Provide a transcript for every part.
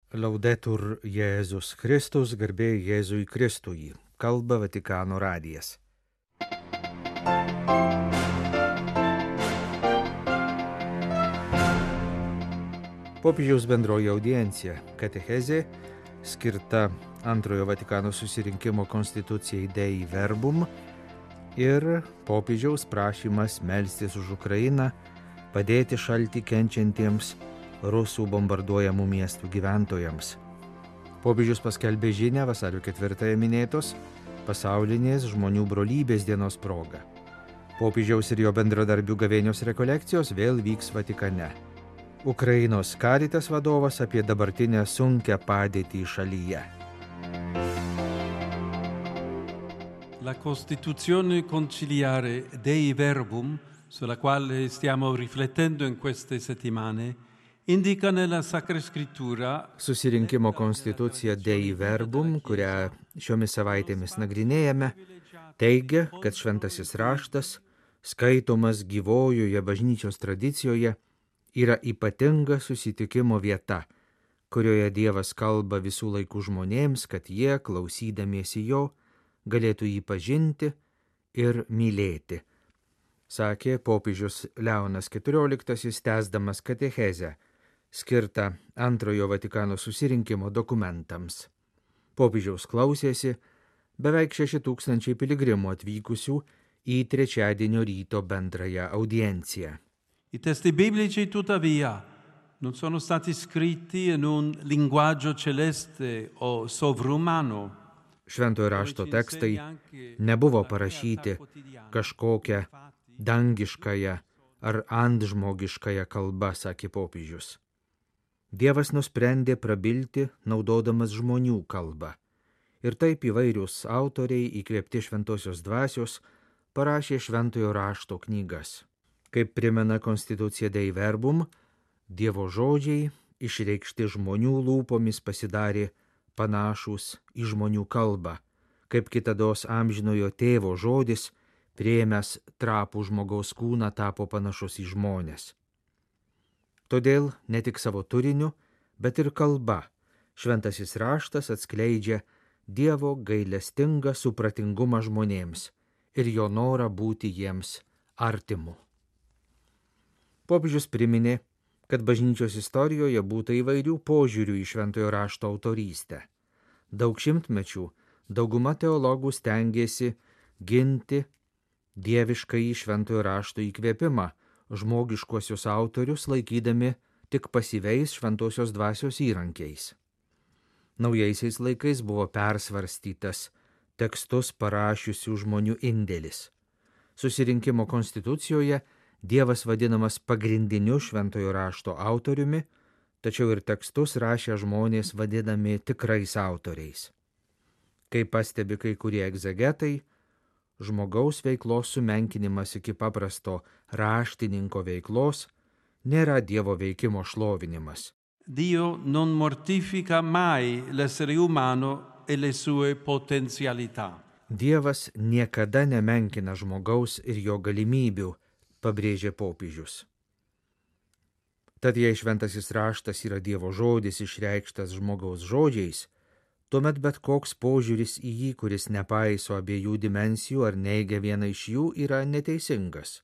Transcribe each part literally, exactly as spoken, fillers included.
Laudetur Jėzus Kristus, garbė Jėzui Kristui, kalba Vatikano radijas. Popiežiaus bendroji audiencija katechezė skirta antrojo Vatikano susirinkimo konstitucijai Dei Verbum ir popiežiaus prašymas melstis už Ukrainą, padėti šaltį kenčiantiems rusų bombarduojamų miestų gyventojams. Popiežius paskelbė žinią vasario ketvirtąją minėtos pasaulinės žmonių brolybės dienos proga. Popiežiaus ir jo bendradarbių gavėnios rekolekcijos vėl vyks Vatikane. Ukrainos Caritas vadovas apie dabartinę sunkią padėtį šalyje. La Costituzione conciliare Dei Verbum, sulla quale stiamo riflettendo in queste settimane, indica nella Sacra Scrittura Susirinkimo konstitucija Dei Verbum, kurią šiomis savaitėmis nagrinėjame, teigia, kad šventasis raštas, skaitomas gyvojoje bažnyčios tradicijoje, yra ypatinga susitikimo vieta, kurioje Dievas kalba visų laikų žmonėms, kad jie, klausydamiesi jo, galėtų jį pažinti ir mylėti, sakė popiežius Leonas keturioliktasis, tęsdamas katechezę, skirta antrojo Vatikano susirinkimo dokumentams. Popiežiaus klausėsi beveik šeši tūkstančiai piligrimų atvykusių į trečiadienio ryto bendrąją audienciją. I testi biblici, tuttavia, non sono stati scritti in un linguaggio celeste o sovrumano. Šventojo rašto tekstai nebuvo parašyti kažkokią dangiškąją ar antžmogiškąją kalbą, sakė popiežius. Dievas nusprendė prabilti, naudodamas žmonių kalbą. Ir taip įvairius autoriai, įkvėpti šventosios dvasios, parašė šventojo rašto knygas. Kaip primena konstitucija Dei Verbum, Dievo žodžiai, išreikšti žmonių lūpomis, pasidarė panašūs į žmonių kalbą, kaip kitados amžinojo tėvo žodis, priėmęs trapų žmogaus kūną, tapo panašus į žmones. Todėl ne tik savo turiniu, bet ir kalba šventasis raštas atskleidžia Dievo gailestingą supratingumą žmonėms ir jo norą būti jiems artimu. Popiežius priminė, kad bažnyčios istorijoje būta įvairių požiūrių į šventojo rašto autorystę. Daug šimtmečių dauguma teologų stengėsi ginti dieviškąjį šventojo rašto įkvėpimą, žmogiškuosius autorius laikydami tik pasyviais šventosios dvasios įrankiais. Naujaisiais laikais buvo persvarstytas tekstus parašiusių žmonių indėlis. Susirinkimo konstitucijoje Dievas vadinamas pagrindiniu šventojo rašto autoriumi, tačiau ir tekstus rašę žmonės vadinami tikrais autoriais. Kaip pastebi kai kurie egzegetai, žmogaus veiklos sumenkinimas iki paprasto raštininko veiklos nėra Dievo veikimo šlovinimas. Dio non mortifica mai l'essere umano e le sue potenzialità. Dievas niekada nemenkina žmogaus ir jo galimybių, pabrėžė popiežius. Tad jei šventasis raštas yra Dievo žodis išreikštas žmogaus žodžiais, tuomet bet koks požiūris į jį, kuris nepaiso abiejų dimensijų ar neigia vieną iš jų, yra neteisingas.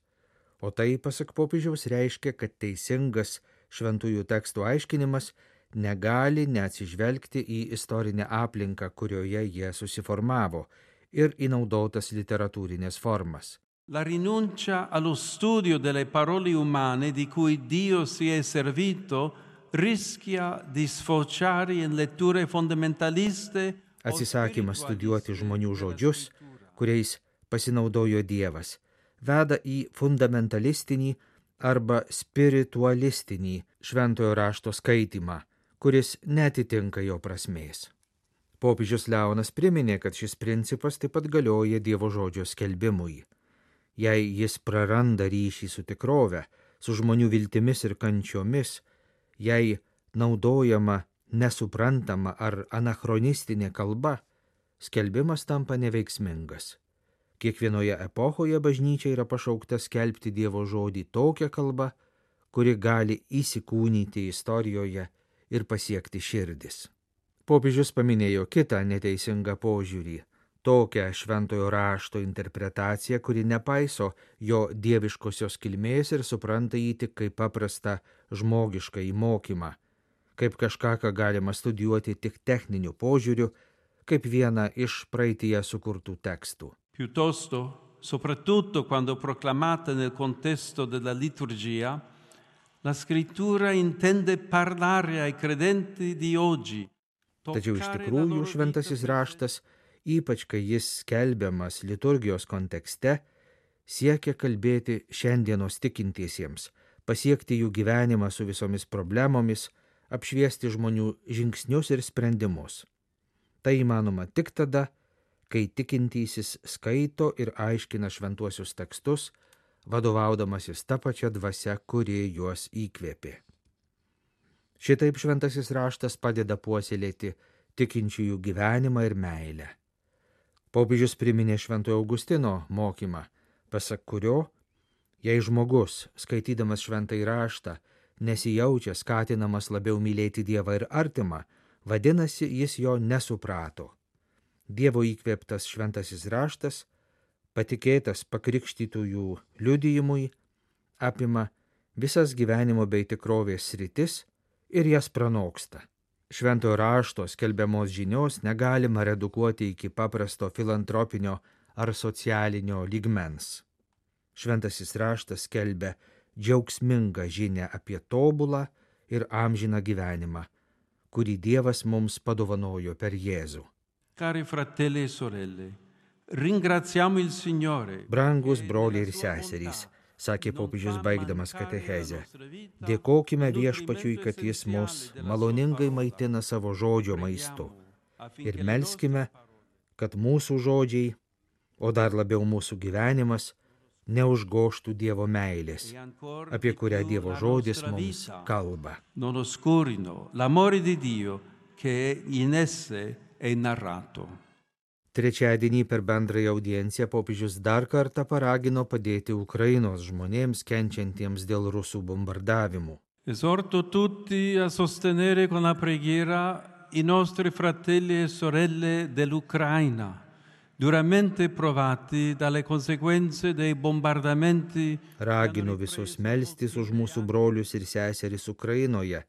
O tai, pasak popiežiaus, reiškia, kad teisingas šventųjų tekstų aiškinimas negali neatsižvelgti į istorinę aplinką, kurioje jie susiformavo, ir į naudotas literatūrinės formas. La rinuncia allo studio delle parole umane di cui Dio si è servito rischia di sfociare in letture fondamentaliste. Atsisakymas studijuoti žmonių žodžius, kuriais pasinaudojo Dievas, veda į fundamentalistinį arba spiritualistinį šventojo rašto skaitymą, kuris netitinka jo prasmės. Popiežius Leonas priminė, kad šis principas taip pat galioja Dievo žodžio skelbimui. Jei jis praranda ryšį su tikrove, su žmonių viltimis ir kančiomis, jei naudojama nesuprantama ar anachronistinė kalba, skelbimas tampa neveiksmingas. Kiekvienoje epochoje bažnyčia yra pašaukta skelbti Dievo žodį tokią kalbą, kuri gali įsikūnyti istorijoje ir pasiekti širdis. Popiežius paminėjo kitą neteisingą požiūrį, tokią šventojo rašto interpretaciją, kuri nepaiso jo dieviškosios kilmės ir supranta jį tik kaip paprastą žmogišką įmokymą, kaip kažką, ką galima studijuoti tik techniniu požiūriu, kaip vieną iš praeityje sukurtų tekstų. Piuttosto, soprattutto quando proclamata nel contesto della liturgia, la scrittura intende parlare ai credenti di oggi. Tačiau iš tikrųjų šventasis raštas, ypač kai jis skelbiamas liturgijos kontekste, siekia kalbėti šiandienos tikintiesiems, pasiekti jų gyvenimą su visomis problemomis, apšviesti žmonių žingsnius ir sprendimus. Tai įmanoma tik tada, kai tikintysis skaito ir aiškina šventuosius tekstus, vadovaudamasis tą pačią dvasią, kuri juos įkvėpė. Šitaip šventasis raštas padeda puoselėti tikinčiųjų gyvenimą ir meilę. Popiežius priminė Šventojo Augustino mokymą, pasak kurio, jei žmogus, skaitydamas šventąjį raštą, nesijaučia skatinamas labiau mylėti Dievą ir artimą, vadinasi, jis jo nesuprato. Dievo įkvėptas šventasis raštas, patikėtas pakrikštytųjų liudijimui, apima visas gyvenimo bei tikrovės sritis ir jas pranoksta. Šventojo rašto skelbiamos žinios negalima redukuoti iki paprasto filantropinio ar socialinio lygmens. Šventasis raštas skelbia džiaugsmingą žinią apie tobulą ir amžiną gyvenimą, kurį Dievas mums padovanojo per Jėzų. Cari fratelli e sorelle, ringraziamo il Signore. Brangus broliai ir seserys, sakė popiežius baigdamas katechezę, dėkokime Viešpačiui, kad jis mus maloningai maitina savo žodžio maistu ir melskime, kad mūsų žodžiai, o dar labiau mūsų gyvenimas, neužgoštų Dievo meilės, apie kurią Dievo žodis mums kalba. Non oscurino l'amore di Dio che in esse è narrato. Trečiadienį per bendrąją audienciją popiežius dar kartą paragino padėti Ukrainos žmonėms kenčiantiems dėl rusų bombardavimų. Esorto tutti a sostenere con la preghiera i nostri fratelli e sorelle dell'Ucraina, duramente provati dalle conseguenze dei bombardamenti. Raginu visus melstis už mūsų brolius ir seseris Ukrainoje,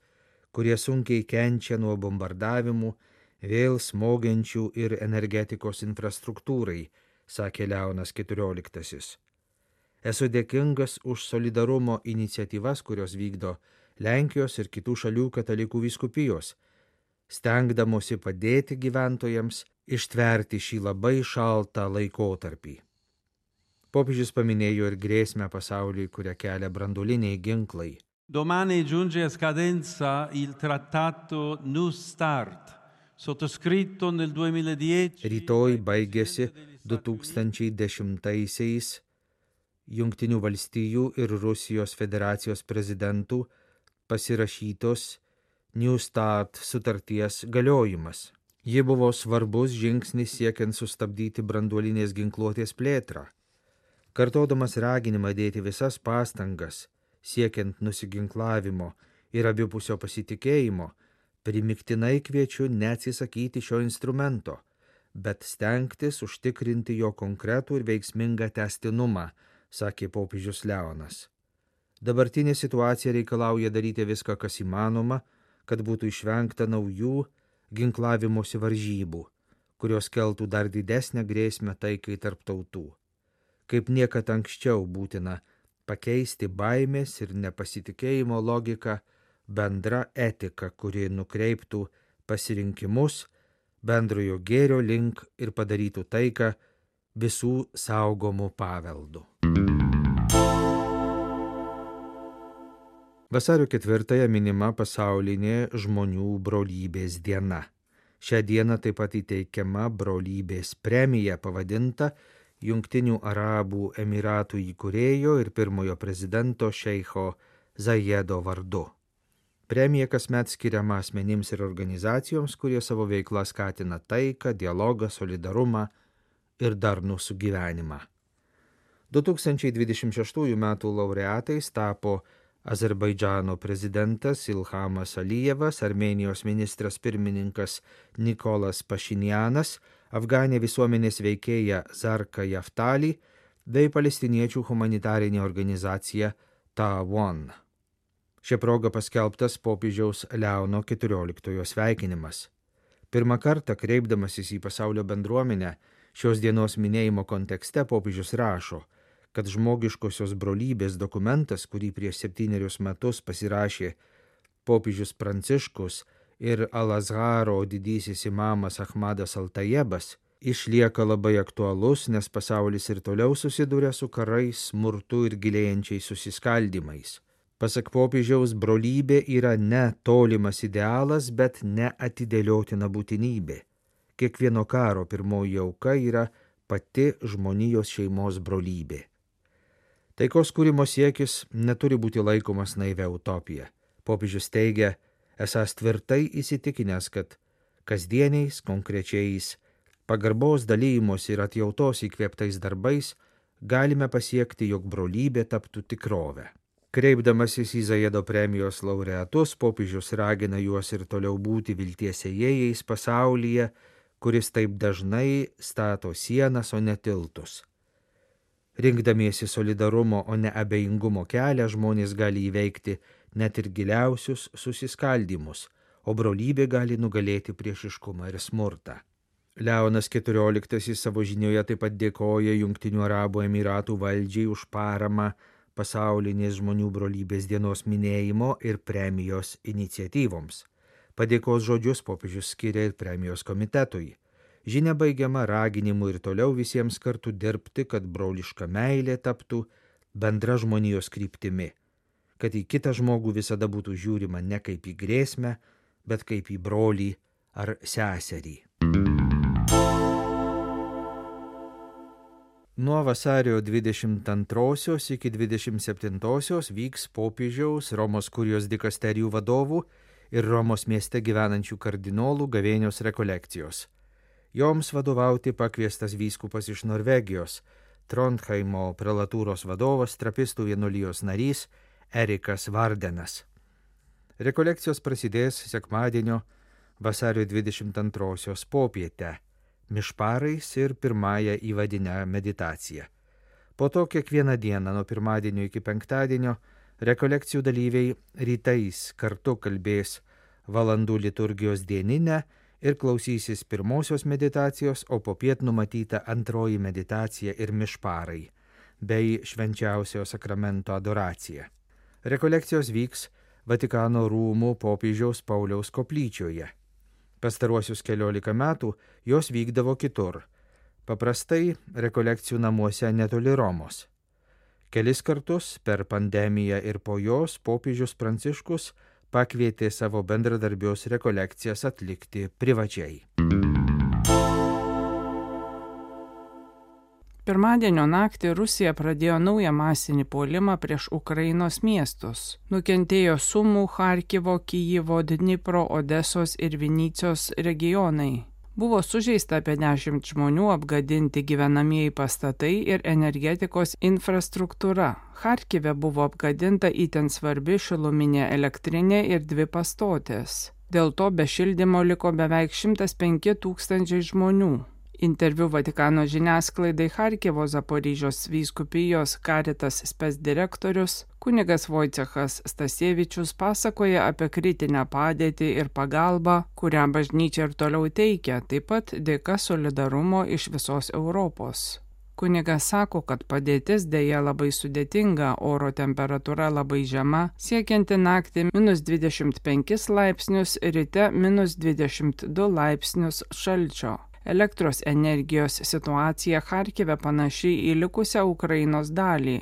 kurie sunkiai kenčia nuo bombardavimų, vėl smogiančių ir energetikos infrastruktūrai, sakė Leonas keturioliktasis. Esu dėkingas už solidarumo iniciatyvas, kurios vykdo Lenkijos ir kitų šalių katalikų vyskupijos, stengdamosi padėti gyventojams ištverti šį labai šaltą laikotarpį. Popiežius paminėjo ir grėsmę pasauliui, kurią kelia branduoliniai ginklai. Domani giunge a scadenza il trattato New Start, sottoscritto nel duemiladieci. Rytoj baigėsi du tūkstančiai dešimtaisiais Jungtinių valstijų ir Rusijos federacijos prezidentų pasirašytos New Start sutarties galiojimas. Ji buvo svarbus žingsnis siekiant sustabdyti branduolinės ginkluotės plėtrą. Kartodamas raginimą dėti visas pastangas, siekiant nusiginklavimo ir abipusio pasitikėjimo, primiktinai kviečiu neatsisakyti šio instrumento, bet stengtis užtikrinti jo konkretų ir veiksmingą tęstinumą, sakė popiežius Leonas. Dabartinė situacija reikalauja daryti viską, kas įmanoma, kad būtų išvengta naujų ginklavimosi varžybų, kurios keltų dar didesnę grėsmę taikai tarp tautų. Kaip niekad anksčiau būtina pakeisti baimės ir nepasitikėjimo logiką bendra etika, kuri nukreiptų pasirinkimus bendrojo gėrio link ir padarytų taiką visų saugomų paveldų. Vasario ketvirtąją minima pasaulinė žmonių brolybės diena. Šią dieną taip pat įteikiama brolybės premija pavadinta Jungtinių Arabų Emiratų įkūrėjo ir pirmojo prezidento šeicho Zajedo vardu. Premija kasmet skiriama asmenims ir organizacijoms, kurie savo veiklą skatina taiką, dialogą, solidarumą ir darnų sugyvenimą. du tūkstančiai dvidešimt šeštųjų metų laureatais tapo Azerbaidžano prezidentas Ilhamas Alijevas, Armėnijos ministras pirmininkas Nikolas Pašinjanas, Afganė visuomenės veikėja Zarka Yaftali bei palestiniečių humanitarinė organizacija Ta'awun. Šia proga paskelbtas popiežiaus Leono keturioliktojo sveikinimas. Pirmą kartą kreipdamasis į pasaulio bendruomenę, šios dienos minėjimo kontekste popiežius rašo, kad žmogiškosios brolybės dokumentas, kurį prieš septynerius metus pasirašė popiežius Pranciškus ir Al-Azharo didysis imamas Ahmadas Al-Tajebas, išlieka labai aktualus, nes pasaulis ir toliau susiduria su karais, smurtu ir gilėjančiais susiskaldymais. Pasak popiežiaus, brolybė yra ne tolimas idealas, bet neatidėliotina būtinybė. Kiekvieno karo pirmoji auka yra pati žmonijos šeimos brolybė. Taikos kūrimo siekis neturi būti laikomas naivia utopija. Popiežius teigia, esąs tvirtai įsitikinęs, kad kasdieniais, konkrečiais, pagarbos dalyjimos ir atjautos įkvėptais darbais galime pasiekti, jog brolybė taptų tikrovę. Kreipdamasis į Zajedo premijos laureatus, popiežius ragina juos ir toliau būti vilties ėjėjais pasaulyje, kuris taip dažnai stato sienas, o ne tiltus. Rinkdamiesi solidarumo, o ne abejingumo kelią, žmonės gali įveikti net ir giliausius susiskaldymus, o brolybė gali nugalėti priešiškumą ir smurtą. Leonas keturioliktasis savo žinioje taip pat dėkoja Jungtinių Arabų Emyratų valdžiai už paramą pasaulinės žmonių brolybės dienos minėjimo ir premijos iniciatyvoms. Padėkos žodžius popiežius skiria ir premijos komitetui. Žinia baigiama raginimu ir toliau visiems kartu dirbti, kad broliška meilė taptų bendra žmonijos kryptimi, kad į kitą žmogų visada būtų žiūrima ne kaip į grėsmę, bet kaip į brolį ar seserį. Nuo vasario dvidešimt antrosios iki dvidešimt septintosios vyks popiežiaus, Romos kurijos dikasterijų vadovų ir Romos mieste gyvenančių kardinolų gavėnios rekolekcijos. Joms vadovauti pakviestas vyskupas iš Norvegijos, Trondheimo prelatūros vadovas, trapistų vienuolijos narys Erikas Vardenas. Rekolekcijos prasidės sekmadienio vasario dvidešimt antrosios popietę, mišparais ir pirmąją įvadinę meditaciją. Po to kiekvieną dieną nuo pirmadienio iki penktadienio rekolekcijų dalyviai rytais kartu kalbės valandų liturgijos dieninę ir klausysis pirmosios meditacijos, o popiet numatyta antroji meditacija ir mišparai, bei švenčiausiojo sakramento adoracija. Rekolekcijos vyks Vatikano rūmų popiežiaus Pauliaus koplyčioje. Pastaruosius keliolika metų jos vykdavo kitur, paprastai rekolekcijų namuose netoli Romos. Kelis kartus per pandemiją ir po jos popiežius Pranciškus pakvietė savo bendradarbius rekolekcijas atlikti privačiai. Pirmadienio naktį Rusija pradėjo naują masinį puolimą prieš Ukrainos miestus. Nukentėjo Sumų, Charkivo, Kijivo, Dnipro, Odesos ir Vinycios regionai. Buvo sužeista apie dešimt žmonių, apgadinti gyvenamieji pastatai ir energetikos infrastruktūra. Charkive buvo apgadinta itin svarbi šiluminė elektrinė ir dvi pastotės. Dėl to be šildymo liko beveik šimtas penki tūkstančiai žmonių. Interviu Vatikano žiniasklaidai Charkivo Zaporyžios vyskupijos Caritas spec direktorius kunigas Vojcechas Stasievičius pasakoja apie kritinę padėtį ir pagalbą, kurią bažnyčia ir toliau teikia, taip pat dėka solidarumo iš visos Europos. Kunigas sako, kad padėtis dėja labai sudėtinga, oro temperatūra labai žema, siekianti naktį minus dvidešimt penkis laipsnius, ryte minus dvidešimt du laipsnius šalčio. Elektros energijos situacija Charkive panaši į likusią Ukrainos dalį.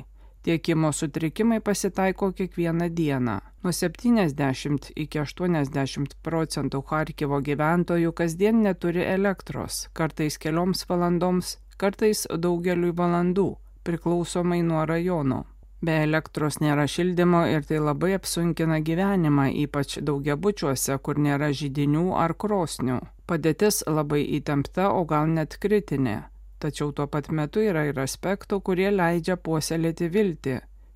Tiekimo sutrikimai pasitaiko kiekvieną dieną. Nuo septyniasdešimt iki aštuoniasdešimt procentų Charkivo gyventojų kasdien neturi elektros, kartais kelioms valandoms, kartais daugeliui valandų, priklausomai nuo rajono. Be elektros nėra šildymo ir tai labai apsunkina gyvenimą, ypač daugiabučiuose, kur nėra židinių ar krosnių. Padėtis labai įtempta, o gal net kritinė. Tačiau tuo pat metu yra ir aspektų, kurie leidžia puoselėti viltį.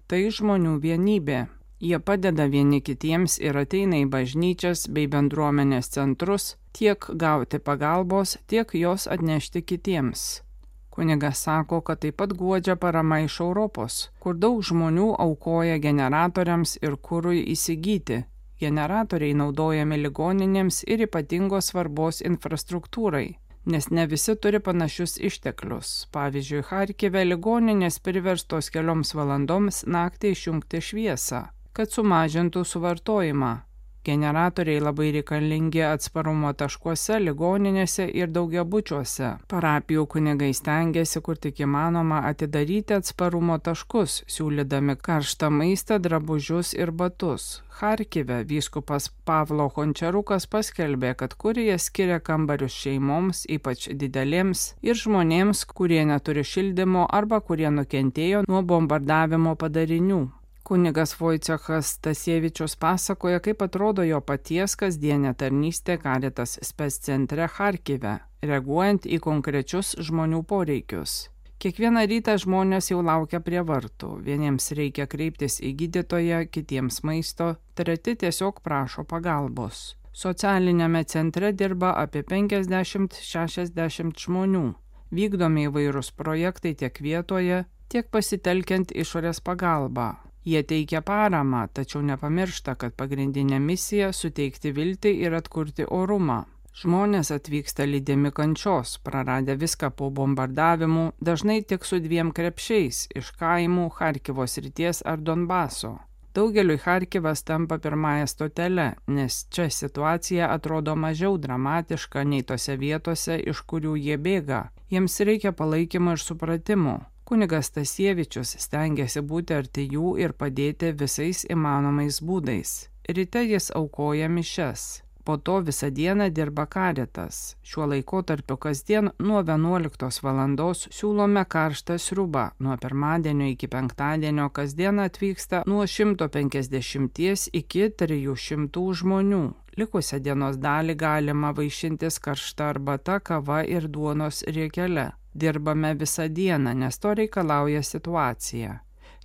Tai žmonių vienybė. Jie padeda vieni kitiems ir ateina į bažnyčias bei bendruomenės centrus tiek gauti pagalbos, tiek jos atnešti kitiems. Kunigas sako, kad taip pat guodžia parama iš Europos, kur daug žmonių aukoja generatoriams ir kurui įsigyti. Generatoriai naudojami ligoninėms ir ypatingos svarbos infrastruktūrai, nes ne visi turi panašius išteklius. Pavyzdžiui, Charkive ligoninės priverstos kelioms valandoms naktį išjungti šviesą, kad sumažintų suvartojimą. Generatoriai labai reikalingi atsparumo taškuose, ligoninėse ir daugiabučiuose. Parapijų kunigai stengiasi, kur tik įmanoma, atidaryti atsparumo taškus, siūlydami karštą maistą, drabužius ir batus. Charkive vyskupas Pavlo Hončarukas paskelbė, kad kurija skiria kambarius šeimoms, ypač didelėms, ir žmonėms, kurie neturi šildymo arba kurie nukentėjo nuo bombardavimo padarinių. Kunigas Vojcechas Stasievičius pasakoja, kaip atrodo jo paties kasdienė tarnystė Caritas Spes centre Charkive, reaguojant į konkrečius žmonių poreikius. Kiekvieną rytą žmonės jau laukia prie vartų. Vieniems reikia kreiptis į gydytoją, kitiems maisto, treti tiesiog prašo pagalbos. Socialinėme centre dirba apie penkiasdešimt šešiasdešimt žmonių. Vykdomi įvairūs projektai tiek vietoje, tiek pasitelkiant išorės pagalbą. Jie teikia paramą, tačiau nepamiršta, kad pagrindinė misija – suteikti viltį ir atkurti orumą. Žmonės atvyksta lydimi kančios, praradę viską po bombardavimų, dažnai tik su dviem krepšiais – iš kaimų, Charkivo srities ar Donbaso. Daugeliui Charkivas tampa pirmąją stotelę, nes čia situacija atrodo mažiau dramatiška nei tose vietose, iš kurių jie bėga. Jiems reikia palaikymo ir supratimo. Kunigas Stasievičius stengiasi būti arti jų ir padėti visais įmanomais būdais. Ryte jis aukoja mišias. Po to visą dieną dirba Caritas. Šiuo laikotarpiu kasdien nuo vienuoliktos valandos siūlome karštą sriubą. Nuo pirmadienio iki penktadienio kasdien atvyksta nuo šimto penkiasdešimties iki trijų šimtų žmonių. Likusią dienos dalį galima vaišintis karšta arbata, kava ir duonos riekele. Dirbame visą dieną, nes to reikalauja situacija.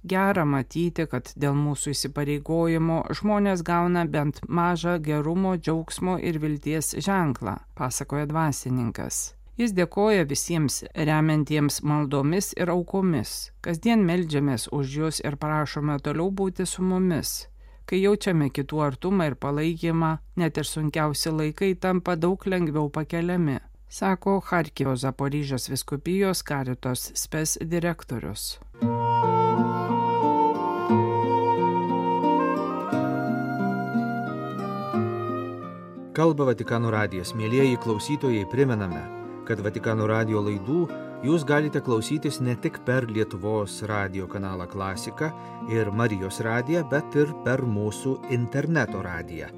Gera matyti, kad dėl mūsų įsipareigojimo žmonės gauna bent mažą gerumo, džiaugsmo ir vilties ženklą, pasakoja dvasininkas. Jis dėkoja visiems remiantiems maldomis ir aukomis. Kasdien meldžiamės už jus ir prašome toliau būti su mumis. Kai jaučiame kitų artumą ir palaikymą, net ir sunkiausi laikai tampa daug lengviau pakeliami, sako Charkivo Zaporižės vyskupijos Caritas Spes direktorius. Kalba Vatikano radijas. Mielieji klausytojai, primename, kad Vatikano radijo laidų jūs galite klausytis ne tik per Lietuvos radijo kanalą Klasika ir Marijos radiją, bet ir per mūsų interneto radiją,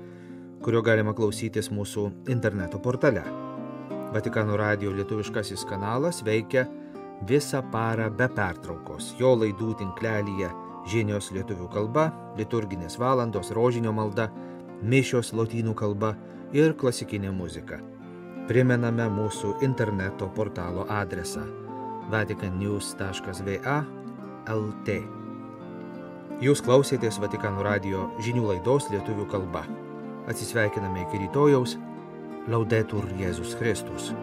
kurio galima klausytis mūsų interneto portale. Vatikano radijo lietuviškasis kanalas veikia visą parą be pertraukos. Jo laidų tinklelyje žinios lietuvių kalba, liturginės valandos, rožinio malda, mišios lotynų kalba ir klasikinė muzika. Primename mūsų interneto portalo adresą vatican news taškas v a taškas l t. Jūs klausėtės Vatikano radijo žinių laidos lietuvių kalba. Atsisveikiname iki rytojaus. Laudetur Jėzus Kristus.